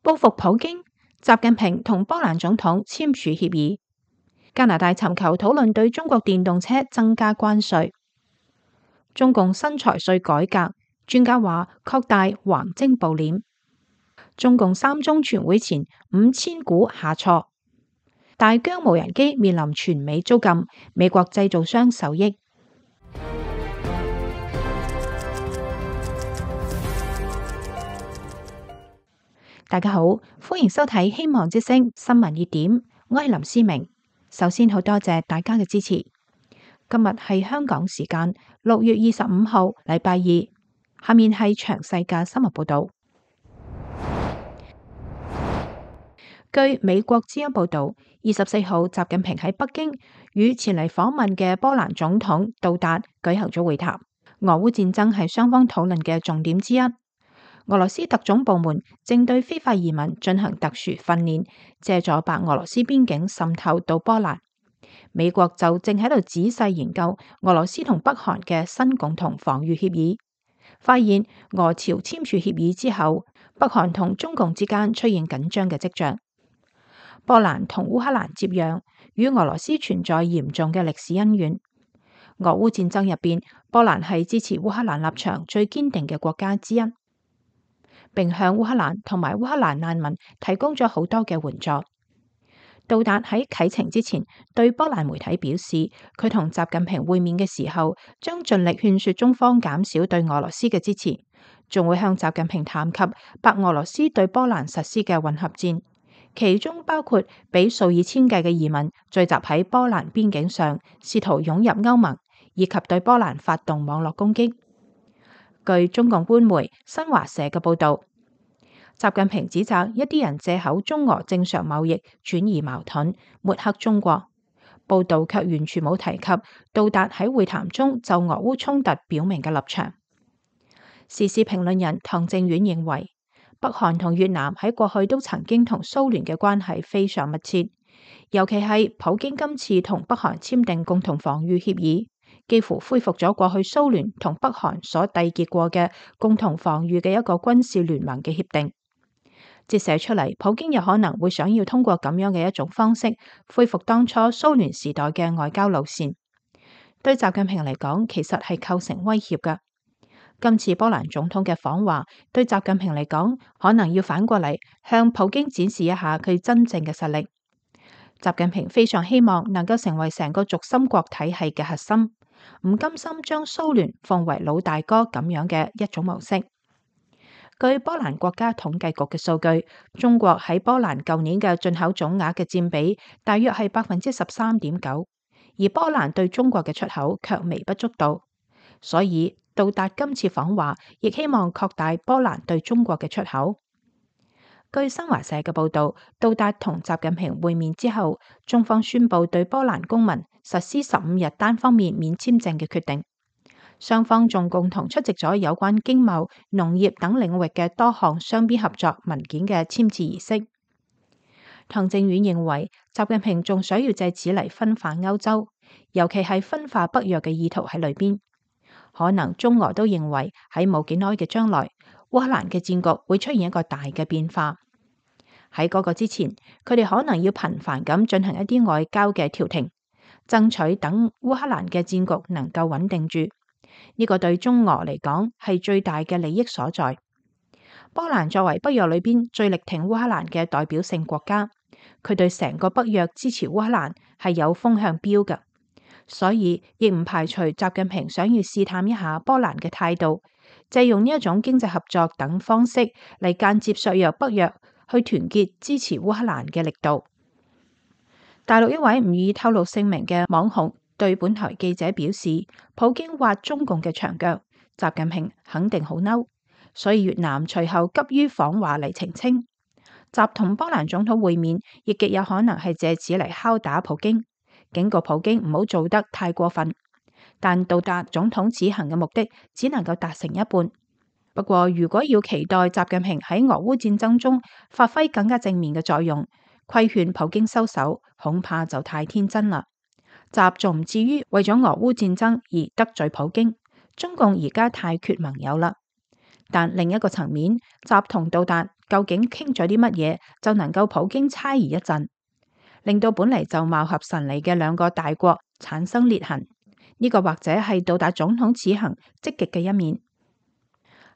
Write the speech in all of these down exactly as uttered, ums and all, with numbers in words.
報復普京，習近平同波蘭總統簽署協議。加拿大尋求討論對中國電動車增加關稅。中共新財稅改革，專家話擴大橫徵暴斂。中共三中全會前五千股下挫。大疆無人機面臨全美租禁，美國製造商受益。大家好，歡迎收睇希望之聲新聞熱點，我係林思明。首先好多謝大家嘅支持。今日係香港時間六月二十五號，禮拜二。下面係詳細嘅新聞報道。據美國之音報道，二十四號習近平喺北京與前嚟訪問嘅波蘭總統杜達舉行咗會談。俄烏戰爭係雙方討論嘅重點之一。俄羅斯特種部門正對非法移民進行特殊訓練，借助白俄羅斯邊境滲透到波蘭。美國就正喺度仔細研究俄羅斯同北韓嘅新共同防禦協議，發現俄朝簽署協議之後，北韓同中共之間出現緊張嘅跡象。波蘭同烏克蘭接壤，與俄羅斯存在嚴重嘅歷史恩怨。俄烏戰爭入邊，波蘭係支持烏克蘭立場最堅定嘅國家之一，並向烏克蘭同埋烏克蘭難民提供咗好多嘅援助。杜達喺啟程之前對波蘭媒體表示，佢同習近平會面嘅時候，將盡力勸說中方減少對俄羅斯嘅支持，仲會向習近平談及白俄羅斯對波蘭實施嘅混合戰，其中包括俾數以千計嘅移民聚集喺波蘭邊境上，試圖湧入歐盟，以及對波蘭發動網絡攻擊。據中共官媒新華社嘅報道，習近平指責一啲人借口中俄正常貿易轉移矛盾，抹黑中國。報道卻完全冇提及杜達喺會談中就俄烏衝突表明嘅立場。時事評論人唐正遠認為，北韓同越南喺過去都曾經同蘇聯嘅關係非常密切，尤其係普京今次同北韓簽訂共同防禦協議，幾乎恢復咗過去蘇聯同北韓所締結過嘅共同防禦嘅一個軍事聯盟嘅協定。折射出嚟，普京有可能會想要通過咁樣嘅一種方式，恢復當初蘇聯時代嘅外交路線。對習近平嚟講，其實係構成威脅㗎。今次波蘭總統嘅訪華，對習近平嚟講，可能要反過嚟向普京展示一下佢真正嘅實力。習近平非常希望能夠成為成個軸心國體系嘅核心，唔甘心將蘇聯奉為老大哥咁樣嘅一種模式。據波蘭國家統計局嘅數據，中國喺波蘭舊年嘅進口總額嘅佔比大約係百分之十三點九，而波蘭對中國嘅出口卻微不足道。所以杜達今次訪華，亦希望擴大波蘭對中國嘅出口。據新華社嘅報道，杜達同習近平會面之後，中方宣布對波蘭公民實施十五日單方面免簽證嘅決定。雙方仲共同出席咗有關經貿、農業等領域嘅多項雙邊合作文件嘅簽字儀式。唐正遠認為，習近平仲想要借此嚟分化歐洲，尤其係分化北約嘅意圖喺裏邊。可能中俄都認為喺冇幾耐嘅將來，烏克蘭嘅戰局會出現一個大嘅變化。喺嗰個之前，佢哋可能要頻繁咁進行一啲外交嘅調停，爭取等烏克蘭嘅戰局能夠穩定住。呢個對中俄嚟講係最大嘅利益所在。波蘭作為北約裏邊最力挺烏克蘭嘅代表性國家，佢對成個北約支持烏克蘭係有風向標嘅，所以亦唔排除習近平想要試探一下波蘭嘅態度，借用呢一種經濟合作等方式嚟間接削弱北約去團結支持烏克蘭嘅力度。大陸一位唔願意透露姓名嘅網紅對本台記者表示，普京挖中共嘅牆腳，習近平肯定好嬲，所以越南隨後急於訪華嚟澄清。習同波蘭總統會面，亦極有可能係借此嚟敲打普京，警告普京唔好做得太過分。但杜達總統此行嘅目的只能夠達成一半。不過，如果要期待習近平喺俄烏戰爭中發揮更加正面嘅作用，規勸普京收手，恐怕就太天真啦。習仲唔至於為咗俄烏戰爭而得罪普京，中共而家太缺盟友啦。但另一個層面，習同杜達究竟傾咗啲乜嘢，就能夠普京猜疑一陣，令到本嚟就貌合神離嘅兩個大國產生裂痕。呢、這個或者係杜達總統此行積極嘅一面。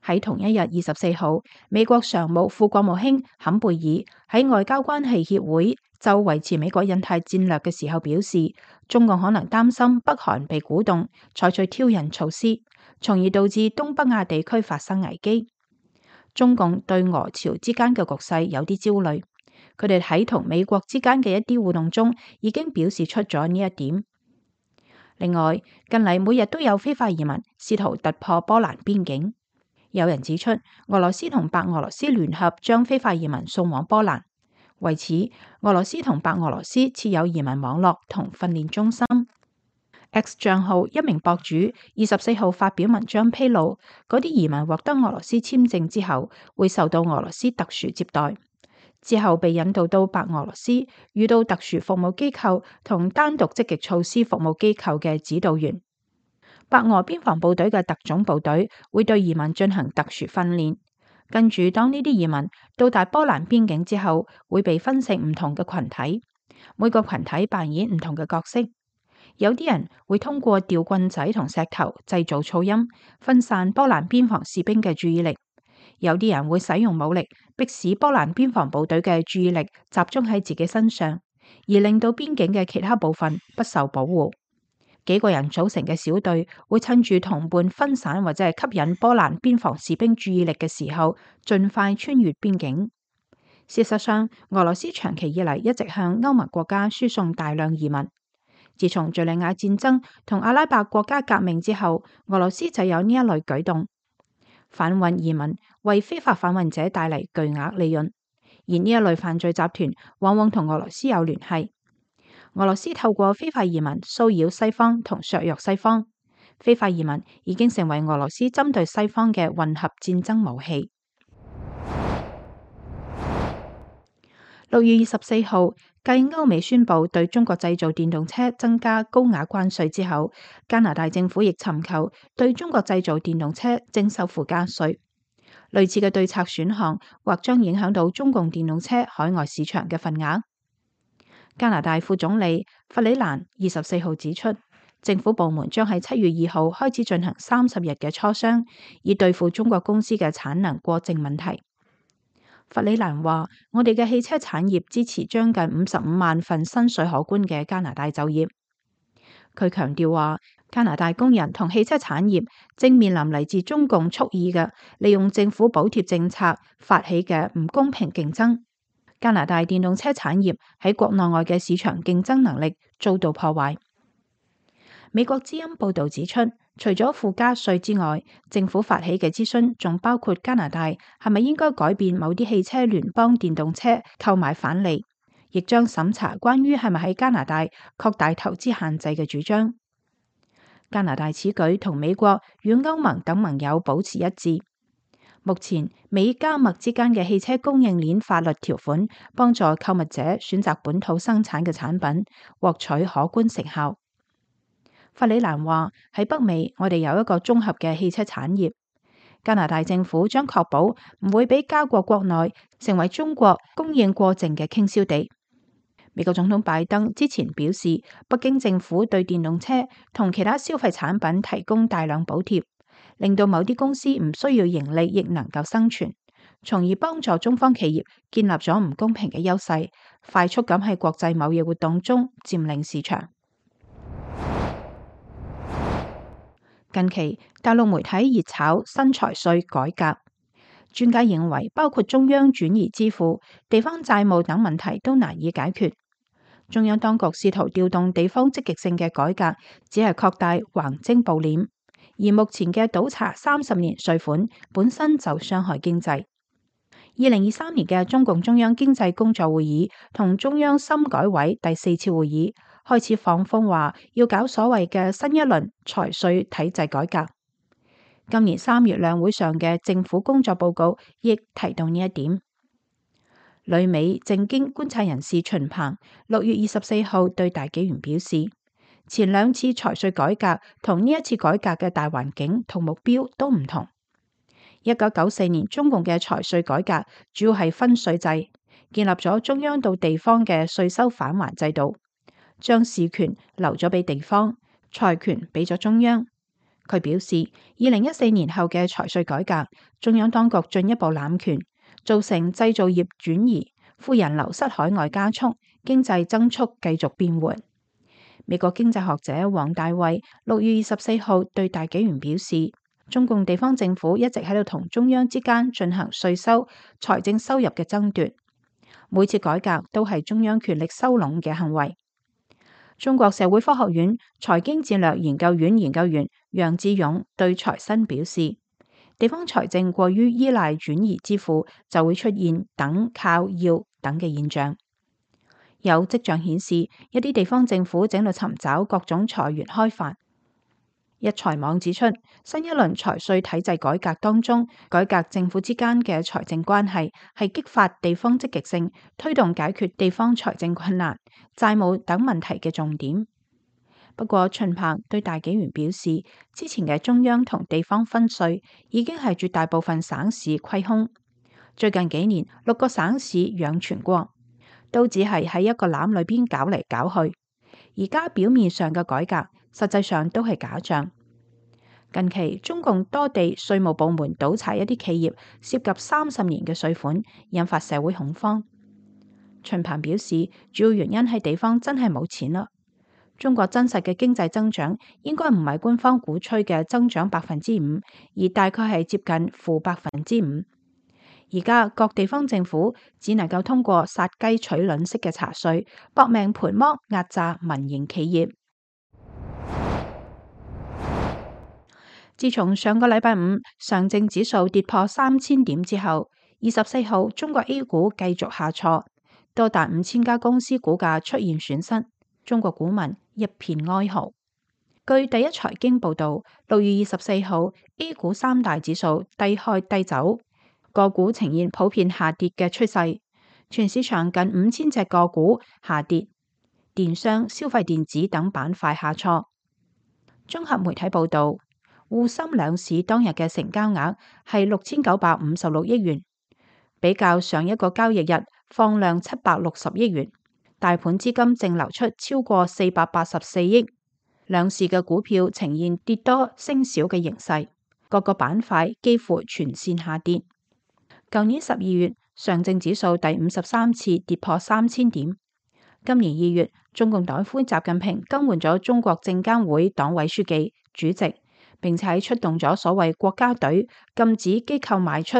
喺同一日二十四號，美國常務副國務卿坎貝爾喺外交關係協會就維持美國印太戰略嘅時候表示，中共可能擔心北韓被鼓動採取挑釁措施，從而導致東北亞地區發生危機。中共對俄朝之間嘅局勢有啲焦慮，佢哋喺同美國之間嘅一啲互動中已經表示出咗呢一點。另外，近嚟每日都有非法移民試圖突破波蘭邊境。有人指出，俄羅斯同白俄羅斯聯合將非法移民送往波蘭。為此，俄羅斯同白俄羅斯設有移民網絡同訓練中心。X 賬號一名博主二十四號發表文章披露，嗰啲移民獲得俄羅斯簽證之後，會受到俄羅斯特殊接待，之後被引導到白俄羅斯，遇到特殊服務機構同單獨積極措施服務機構嘅指導員。白俄邊防部隊嘅特種部隊會對移民進行特殊訓練，跟住當呢啲移民到達波蘭邊境之後，會被分成唔同嘅群體，每個群體扮演唔同嘅角色。有啲人會通過吊棍仔同石頭製造噪音，分散波蘭邊防士兵嘅注意力；有啲人會使用武力，迫使波蘭邊防部隊嘅注意力集中喺自己身上，而令到邊境嘅其他部分不受保護。幾個人組成嘅小隊會趁住同伴分散或者係吸引波蘭邊防士兵注意力嘅時候，盡快穿越邊境。事實上，俄羅斯長期以嚟一直向歐盟國家輸送大量移民。自從敘利亞戰爭同阿拉伯國家革命之後，俄羅斯就有呢一類舉動。販運移民為非法販運者帶嚟巨額利潤，而呢一類犯罪集團往往同俄羅斯有聯繫。俄羅斯透過非法移民騷擾西方同削弱西方，非法移民已經成為俄羅斯針對西方嘅混合戰爭武器。六月二十四號，繼歐美宣布對中國製造電動車增加高額關稅之後，加拿大政府亦尋求對中國製造電動車徵收附加稅。類似嘅對策選項或將影響到中共電動車海外市場嘅份額。加拿大副總理弗里蘭二十四號指出，政府部門將喺七月二號開始進行三十日嘅磋商，以對付中國公司嘅產能過剩問題。弗里蘭話：我哋嘅汽車產業支持將近五十五萬份薪水可觀嘅加拿大就業。佢強調話，加拿大工人同汽車產業正面臨嚟自中共蓄意嘅利用政府補貼政策發起嘅唔公平競爭。加拿大電動車產業喺國內外嘅市場競爭能力遭到破壞。美國之音報導指出，除咗附加稅之外，政府發起嘅諮詢仲包括加拿大係咪應該改變某啲汽車聯邦電動車購買返利，亦將審查關於係咪喺加拿大擴大投資限制嘅主張。加拿大此舉同美國與歐盟等盟友保持一致。目前美加墨之間嘅汽車供應鏈法律條款，幫助購物者選擇本土生產嘅產品，獲取可觀成效。弗里蘭話：喺北美，我哋有一個綜合嘅汽車產業。加拿大政府將確保唔會俾加國國內成為中國供應過剩嘅傾銷地。美國總統拜登之前表示，北京政府對電動車同其他消費產品提供大量補貼，令到某啲公司唔需要盈利亦能夠生存，從而幫助中方企業建立咗唔公平嘅優勢，快速咁喺國際貿易活動中佔領市場。近期大陸媒體熱炒新財稅改革，專家認為包括中央轉移支付、地方債務等問題都難以解決。中央當局試圖調動地方積極性嘅改革，只係擴大橫徵暴斂，而目前嘅倒查三十年稅款本身就傷害經濟。二零二三年嘅中共中央經濟工作會議同中央深改委第四次會議開始放風話要搞所謂嘅新一輪財稅體制改革。今年三月兩會上嘅政府工作報告亦提到呢一點。旅美政經觀察人士秦鵬六月二十四號對大紀元表示，前兩次財稅改革同呢一次改革嘅大環境同目標都唔同。一九九四年中共嘅財稅改革主要係分稅制，建立咗中央到地方嘅稅收返還制度，將事權留咗俾地方，財權俾咗中央。佢表示，二零一四年後嘅財稅改革，中央當局進一步攬權，造成製造業轉移、富人流失海外加速，經濟增速繼續變緩。美國經濟學者王大衛六月二十四號對大紀元表示，中共地方政府一直喺度同中央之間進行稅收、財政收入嘅爭奪，每次改革都係中央權力收攏嘅行為。中國社會科學院財經戰略研究院研究員楊志勇對財新表示，地方財政過於依賴轉移支付，就會出現等靠要等嘅現象。有跡象顯示，一啲地方政府正喺度尋找各種財源開發。一財網指出，新一輪財稅體制改革當中，改革政府之間嘅財政關係係激發地方積極性，推動解決地方財政困難、債務等問題嘅重點。不過，秦鵬對大紀元表示，之前嘅中央同地方分稅已經係絕大部分省市虧空，最近幾年六個省市養全國，都只係喺一個籃裏邊搞嚟搞去。而家表面上嘅改革，實際上都係假象。近期中共多地稅務部門倒查一啲企業涉及三十年嘅稅款，引發社會恐慌。秦鵬表示，主要原因係地方真係冇錢啦。中國真實嘅經濟增長應該唔係官方鼓吹嘅增長百分之五，而大概係接近負百分之五。而家各地方政府只能夠通過殺雞取卵式嘅查稅，搏命盤剝壓榨民營企業。自從上個禮拜五上證指數跌破三千點之後，二十四號中國 A 股繼續下挫，多達五千家公司股價出現損失，中國股民一片哀嚎。據第一財經報道，六月二十四號 A 股三大指數低開低走，個股呈現普遍下跌嘅趨勢，全市場近五千隻個股下跌，電商、消費電子等板塊下挫。綜合媒體報道，滬深兩市當日嘅成交額係六千九百五十六億元，比較上一個交易日放量七百六十億元，大盤資金淨流出超過四百八十四億。兩市嘅股票呈現跌多升少嘅形勢，各個板塊幾乎全線下跌。舊年十二月，上證指數第五十三次跌破三千點。今年二月，中共黨魁習近平更換咗中國證監會黨委書記、主席，並且出動咗所謂國家隊，禁止機構賣出、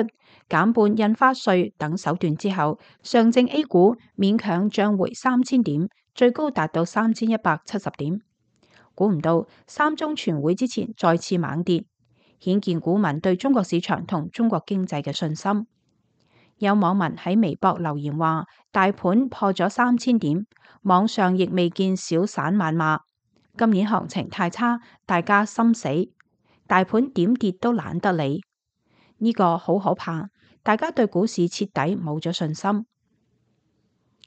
減半印花稅等手段之後，上證 A 股勉強漲回三千點，最高達到三千一百七十點。估唔到三中全會之前再次猛跌，顯見股民對中國市場同中國經濟嘅信心。有網民喺微博留言話，大盤破咗三千點，網上亦未見小散謾罵，今年行情太差，大家心死，大盤點跌都懶得理，呢個好可怕，大家對股市徹底冇咗信心。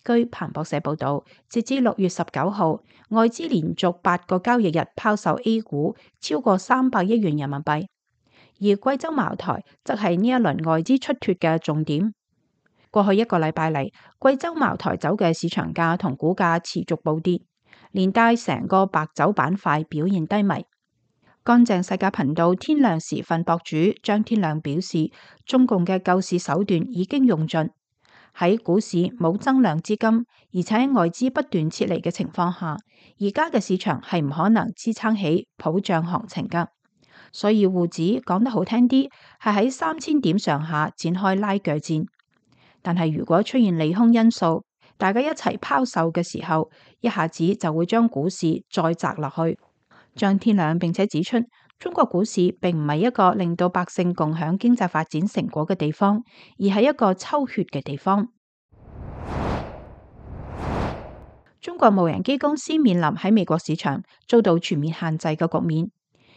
據彭博社報道，截至六月十九號，外資連續八個交易日拋售 A 股超過三百億元人民幣，而貴州茅台則係呢一輪外資出脫嘅重點。過去一個禮拜嚟，貴州茅台酒嘅市場價同股價持續暴跌，連帶成個白酒板塊表現低迷。乾淨世界頻道天亮時分博主張天亮表示，中共嘅救市手段已經用盡。喺股市冇增量資金，而且喺外資不斷撤離嘅情況下，而家嘅市場係唔可能支撐起普漲行情噶。所以滬指講得好聽啲，係喺三千點上下展開拉鋸戰。但係如果出現利空因素，大家一齊拋售嘅時候，一下子就會將股市再砸落去。張天亮並且指出，中國股市並唔係一個令到百姓共享經濟發展成果嘅地方，而係一個抽血嘅地方。中國無人機公司面臨喺美國市場遭到全面限制嘅局面，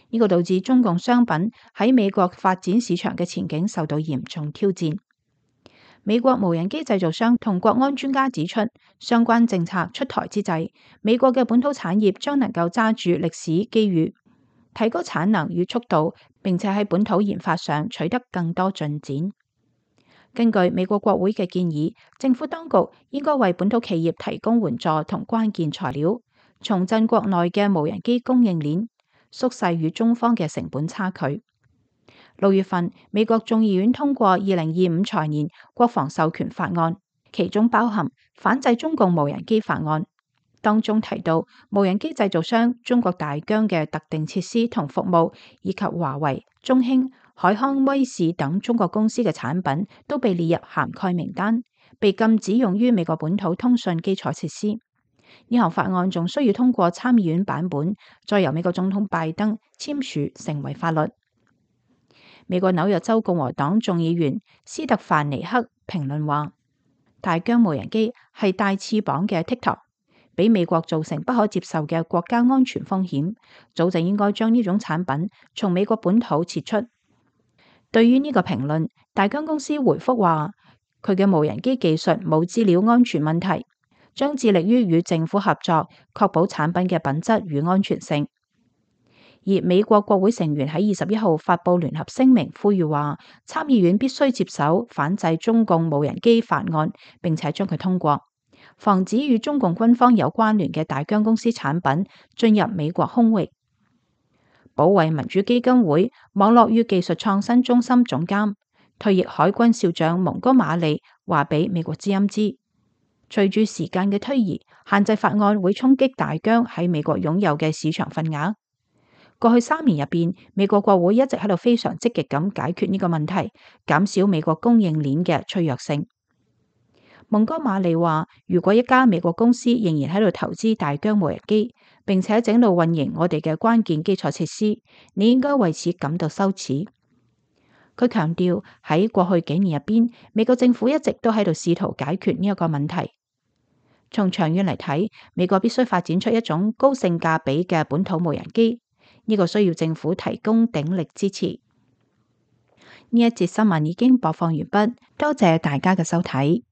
呢個導致中共商品喺美國發展市場嘅前景受到嚴重挑戰。美國無人機製造商同國安專家指出，相關政策出台之際，美國嘅本土產業將能夠揸住歷史機遇。提高產能與速度，並且喺本土研發上取得更多進展。根據美國國會嘅建議，政府當局應該為本土企業提供援助同關鍵材料，重振國內嘅無人機供應鏈，縮細與中方嘅成本差距。六月份，美國眾議院通過二零二五財年國防授權法案，其中包含反制中共無人機法案。當中提到，無人機製造商中國大疆嘅特定設施同服務，以及華為、中興、海康威視等中國公司嘅產品都被列入涵蓋名單，被禁止用於美國本土通訊基礎設施。呢項法案仲需要通過參議院版本，再由美國總統拜登簽署成為法律。美國紐約州共和黨眾議員斯特凡尼克評論話：大疆無人機係帶翅膀嘅 TikTok， 俾美國造成不可接受嘅國家安全風險，早就應該將呢種產品從美國本土撤出。對於呢個評論，大疆公司回覆話：佢嘅無人機技術冇資料安全問題，將致力於與政府合作，確保產品嘅品質與安全性。而美國國會成員喺二十一號發布聯合聲明，呼籲話參議院必須接手反制中共無人機法案，並且將佢通過，防止與中共軍方有關聯嘅大疆公司產品進入美國空域。保衛民主基金會網絡與技術創新中心總監、退役海軍少將蒙哥馬利話俾美國之音知，隨住時間嘅推移，限制法案會衝擊大疆喺美國擁有嘅市場份額。過去三年入邊，美國國會一直喺度非常積極咁解決呢個問題，減少美國供應鏈嘅脆弱性。蒙哥馬利話：如果一家美國公司仍然喺度投資大疆無人機，並且整路運營我哋嘅關鍵基礎設施，你應該為此感到羞恥。佢強調喺過去幾年入邊，美國政府一直都喺度試圖解決呢一個問題。從長遠嚟睇，美國必須發展出一種高性價比嘅本土無人機。呢個需要政府提供鼎力支持。呢一節新聞已經播放完畢，多謝大家嘅收睇。